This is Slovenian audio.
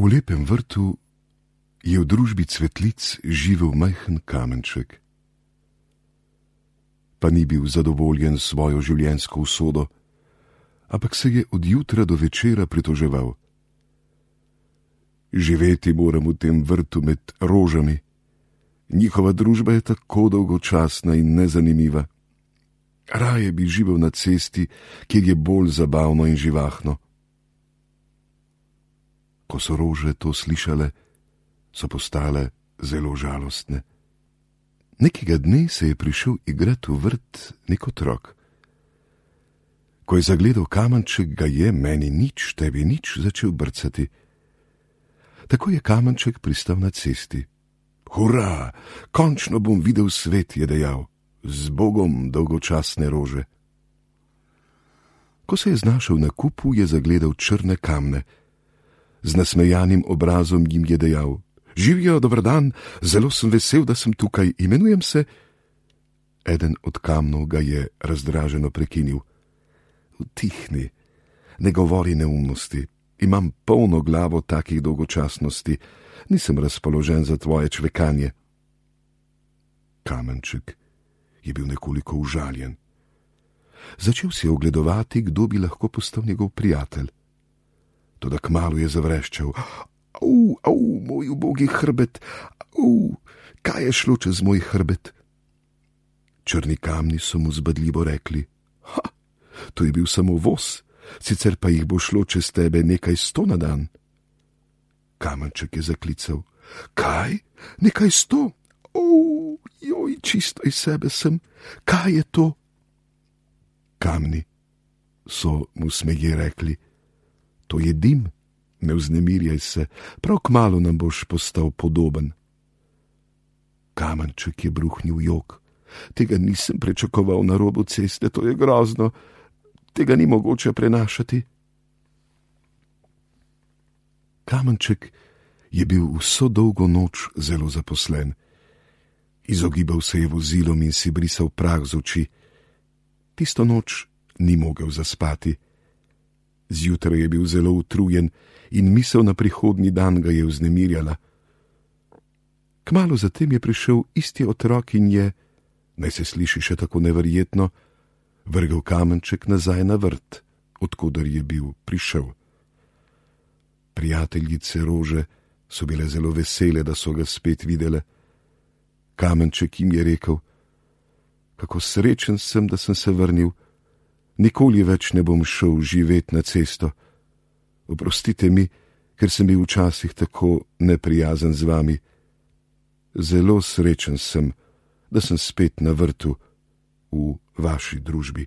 V lepem vrtu je v družbi cvetlic živel majhen kamenček. Pa ni bil zadovoljen s svojo življenjsko usodo, ampak se je od jutra do večera pritoževal. Živeti moram v tem vrtu med rožami. Njihova družba je tako dolgočasna in nezanimiva. Raje bi živel na cesti, kjer je bolj zabavno in živahno. Ko so rože to slišale, so postale zelo žalostne. Nekega dne se je prišel igrat v vrt nek otrok. Ko je zagledal kamenček, ga je meni nič, tebi nič začel brcati. Tako je kamenček pristal na cesti. Hurra, končno bom videl svet, je dejal, z Bogom dolgočasne rože. Ko se je znašel na kupu, je zagledal črne kamne. Z nasmejanim obrazom jim je dejal: Živijo, dober dan, zelo sem vesel, da sem tukaj, imenujem se. Eden od kamnov ga je razdraženo prekinil. Utihni, ne govori neumnosti, imam polno glavo takih dolgočasnosti, nisem razpoložen za tvoje čvekanje. Kamenček je bil nekoliko užaljen. Začel si ogledovati, kdo bi lahko postal njegov prijatelj. Toda kmalu je zavreščal: Au, moj ubogi hrbet, kaj je šlo čez moj hrbet? Črni kamni so mu zbadljivo rekli: To je bil samo voz, sicer pa jih bo šlo čez tebe nekaj 100 na dan. Kamenček je zaklical: Kaj? Nekaj 100? Joj, čisto iz sebe sem, kaj je to? Kamni so mu smeje rekli: To je dim, ne vznemirjaj se, prav kmalu nam boš postal podoben. Kamenček je bruhnil jok. Tega nisem pričakoval na robu ceste, to je grozno, tega ni mogoče prenašati. Kamenček je bil vso dolgo noč zelo zaposlen. Izogibal se je vozilom in si brisal prah z oči. Tisto noč ni mogel zaspati. Zjutraj je bil zelo utrujen in misel na prihodnji dan ga je vznemirjala. Kmalu zatem je prišel isti otrok in je, naj se sliši še tako neverjetno, vrgel kamenček nazaj na vrt, odkoder je bil prišel. Prijateljice rože so bile zelo vesele, da so ga spet videle. Kamenček jim je rekel: Kako srečen sem, da sem se vrnil. Nikoli več ne bom šel živet na cesto. Oprostite mi, ker sem bil včasih tako neprijazen z vami. Zelo srečen sem, da sem spet na vrtu v vaši družbi.